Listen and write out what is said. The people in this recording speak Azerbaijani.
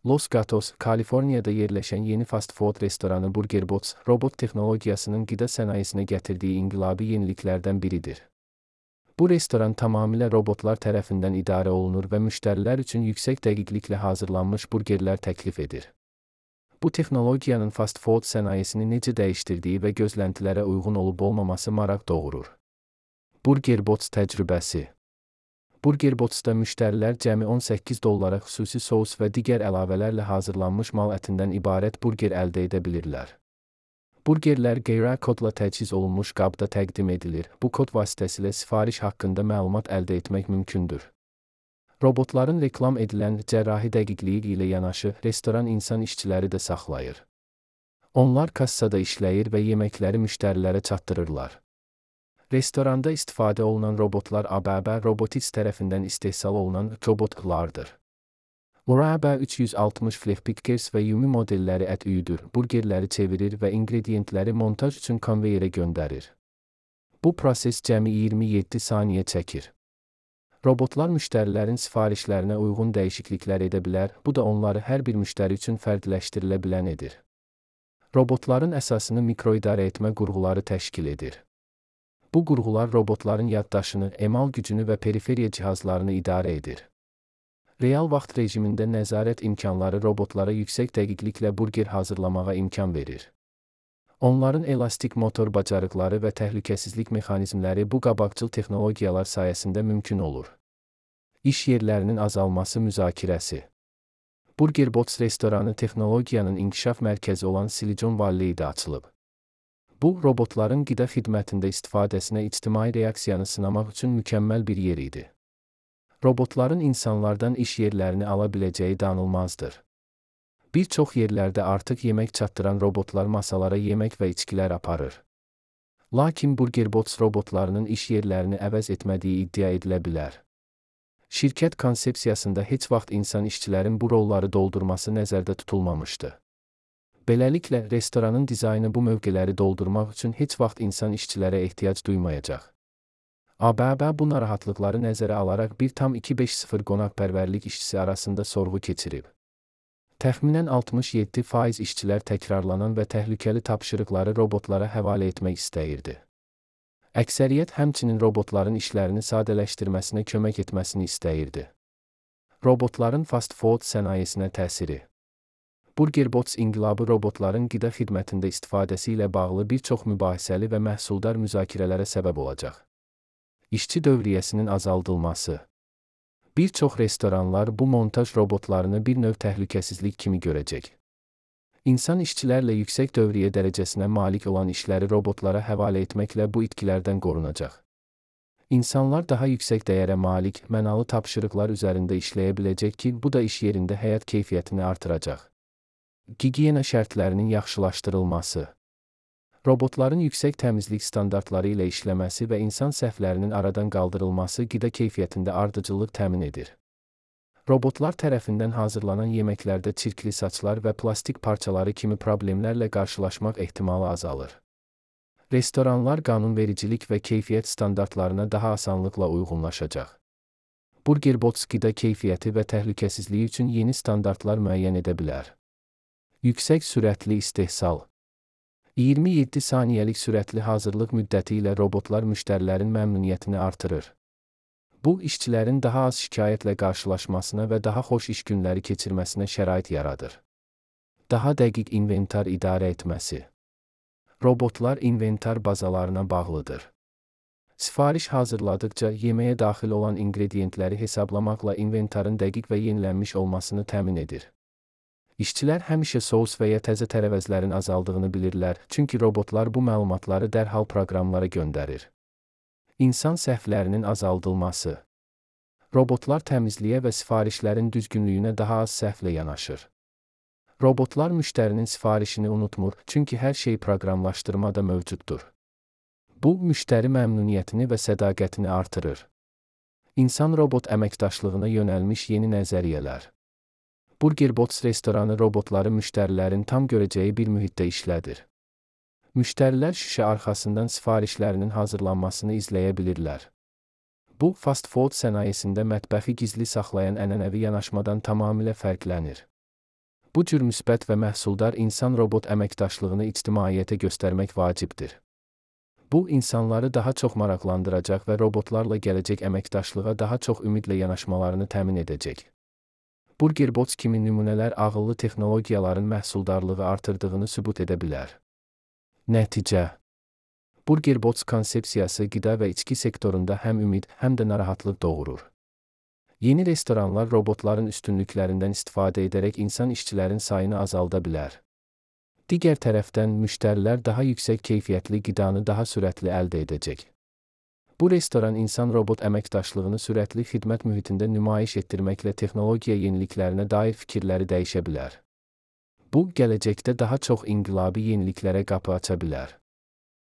Los Gatos, Kaliforniyada yerləşən yeni fast food restoranı BurgerBots, robot texnologiyasının qida sənayesinə gətirdiyi inqilabi yeniliklərdən biridir. Bu restoran tamamilə robotlar tərəfindən idarə olunur və müştərilər üçün yüksək dəqiqliklə hazırlanmış burgerlər təklif edir. Bu texnologiyanın fast food sənayesini necə dəyişdirdiyi və gözləntilərə uyğun olub-olmaması maraq doğurur. BurgerBots təcrübəsi. BurgerBotsda müştərilər cəmi $18 xüsusi sous və digər əlavələrlə hazırlanmış mal ətindən ibarət burger əldə edə bilirlər. Burgerlər QR kodla təchiz olunmuş qabda təqdim edilir. Bu kod vasitəsilə sifariş haqqında məlumat əldə etmək mümkündür. Robotların reklam edilən cərrahi dəqiqliyi ilə yanaşı, restoran insan işçiləri də saxlayır. Onlar kassada işləyir və yeməkləri müştərilərə çatdırırlar. Restoranda istifadə olunan robotlar ABB Robotics tərəfindən istehsal olunan robotlardır. ABB 360 Flippickers və Yumi modelləri ət üyüdür, burgerləri çevirir və ingrediyentləri montaj üçün konveyerə göndərir. Bu proses cəmi 27 saniyə çəkir. Robotlar müştərilərin sifarişlərinə uyğun dəyişikliklər edə bilər, bu da onları hər bir müştəri üçün fərqləşdirilə bilən edir. Robotların əsasını mikroidarə etmə qurğuları təşkil edir. Bu qurğular robotların yaddaşını, emal gücünü və periferiya cihazlarını idarə edir. Real vaxt rejimində nəzarət imkanları robotlara yüksək dəqiqliklə burger hazırlamağa imkan verir. Onların elastik motor bacarıqları və təhlükəsizlik mexanizmləri bu qabaqcıl texnologiyalar sayəsində mümkün olur. İş yerlərinin azalması müzakirəsi. BurgerBots restoranı texnologiyanın inkişaf mərkəzi olan Silicon Valley'də açılıb. Bu, robotların qida xidmətində istifadəsinə ictimai reaksiyanı sınamaq üçün mükəmməl bir yer idi. Robotların insanlardan iş yerlərini ala biləcəyi danılmazdır. Bir çox yerlərdə artıq yemək çatdıran robotlar masalara yemək və içkilər aparır. Lakin BurgerBots robotlarının iş yerlərini əvəz etmədiyi iddia edilə bilər. Şirkət konsepsiyasında heç vaxt insan işçilərin bu rolları doldurması nəzərdə tutulmamışdı. Beləliklə, restoranın dizaynı bu mövqeləri doldurmaq üçün heç vaxt insan işçilərə ehtiyac duymayacaq. ABB bu narahatlıqları nəzərə alaraq 1,250 qonaqpərvərlik işçisi arasında sorğu keçirib. Təxminən 67% işçilər təkrarlanan və təhlükəli tapşırıqları robotlara həvalə etmək istəyirdi. Əksəriyyət həmçinin robotların işlərini sadələşdirməsinə kömək etməsini istəyirdi. Robotların fast food sənayesinə təsiri. BurgerBots inqilabı robotların qida xidmətində istifadəsi ilə bağlı bir çox mübahisəli və məhsuldar müzakirələrə səbəb olacaq. İşçi dövriyyəsinin azaldılması. Bir çox restoranlar bu montaj robotlarını bir növ təhlükəsizlik kimi görəcək. İnsan işçilərlə yüksək dövriyyə dərəcəsinə malik olan işləri robotlara həvalə etməklə bu itkilərdən qorunacaq. İnsanlar daha yüksək dəyərə malik, mənalı tapşırıqlar üzərində işləyə biləcək ki, bu da iş yerində həyat keyfiyyətini artıracaq. Gigiyena şərtlərinin yaxşılaşdırılması. Robotların yüksək təmizlik standartları ilə işləməsi və insan səhvlərinin aradan qaldırılması qida keyfiyyətində ardıcıllıq təmin edir. Robotlar tərəfindən hazırlanan yeməklərdə çirkli saçlar və plastik parçaları kimi problemlərlə qarşılaşmaq ehtimalı azalır. Restoranlar qanunvericilik və keyfiyyət standartlarına daha asanlıqla uyğunlaşacaq. BurgerBots qida keyfiyyəti və təhlükəsizliyi üçün yeni standartlar müəyyən edə bilər. Yüksək sürətli istehsal. 27 saniyəlik sürətli hazırlıq müddəti ilə robotlar müştərilərin məmnuniyyətini artırır. Bu, işçilərin daha az şikayətlə qarşılaşmasına və daha xoş iş günləri keçirməsinə şərait yaradır. Daha dəqiq inventar idarə etməsi. Robotlar inventar bazalarına bağlıdır. Sifariş hazırladıqca yeməyə daxil olan ingrediyentləri hesablamaqla inventarın dəqiq və yenilənmiş olmasını təmin edir. İşçilər həmişə sous və ya təzə tərəvəzlərin azaldığını bilirlər, çünki robotlar bu məlumatları dərhal proqramlara göndərir. İnsan səhvlərinin azaldılması. Robotlar təmizliyə və sifarişlərin düzgünlüyünə daha az səhvlə yanaşır. Robotlar müştərinin sifarişini unutmur, çünki hər şey proqramlaşdırmada mövcuddur. Bu, müştəri məmnuniyyətini və sədaqətini artırır. İnsan-robot əməkdaşlığına yönəlmiş yeni nəzəriyyələr. BurgerBots restoranı robotları müştərilərin tam görəcəyi bir mühitdə işlədir. Müştərilər şüşə arxasından sifarişlərinin hazırlanmasını izləyə bilirlər. Bu, fast food sənayesində mətbəxi gizli saxlayan ənənəvi yanaşmadan tamamilə fərqlənir. Bu cür müsbət və məhsuldar insan-robot əməkdaşlığını ictimaiyyətə göstərmək vacibdir. Bu, insanları daha çox maraqlandıracaq və robotlarla gələcək əməkdaşlığa daha çox ümidlə yanaşmalarını təmin edəcək. Burgerbots kimi nümunələr ağıllı texnologiyaların məhsuldarlığı artırdığını sübut edə bilər. Nəticə: Burgerbots konsepsiyası qida və içki sektorunda həm ümid, həm də narahatlıq doğurur. Yeni restoranlar robotların üstünlüklərindən istifadə edərək insan işçilərin sayını azalda bilər. Digər tərəfdən, müştərilər daha yüksək keyfiyyətli qidanı daha sürətli əldə edəcək. Bu restoran insan-robot əməkdaşlığını sürətli xidmət mühitində nümayiş etdirməklə texnologiya yeniliklərinə dair fikirləri dəyişə bilər. Bu, gələcəkdə daha çox inqilabi yeniliklərə qapı aça bilər.